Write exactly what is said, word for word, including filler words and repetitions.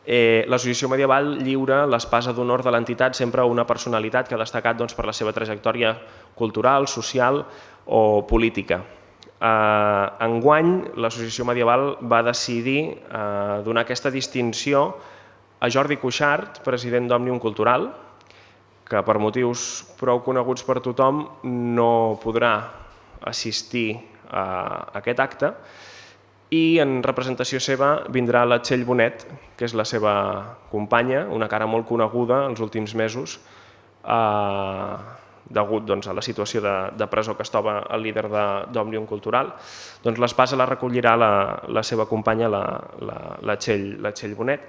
L'Associació Medieval lliura l'espasa d'honor de l'entitat sempre a una personalitat que ha destacat per la seva trajectòria cultural, social o política. Enguany, l'Associació Medieval va decidir donar aquesta distinció a Jordi Cuixart, president d'Òmnium Cultural, que per motius prou coneguts per tothom no podrà assistir a aquest acte, i en representació seva vindrà la Txell Bonet, que és la seva companya, una cara molt coneguda els últims mesos, degut a la situació de presó que es troba el líder d'Òmnium Cultural. L'espasa la recollirà la seva companya, la Txell Bonet.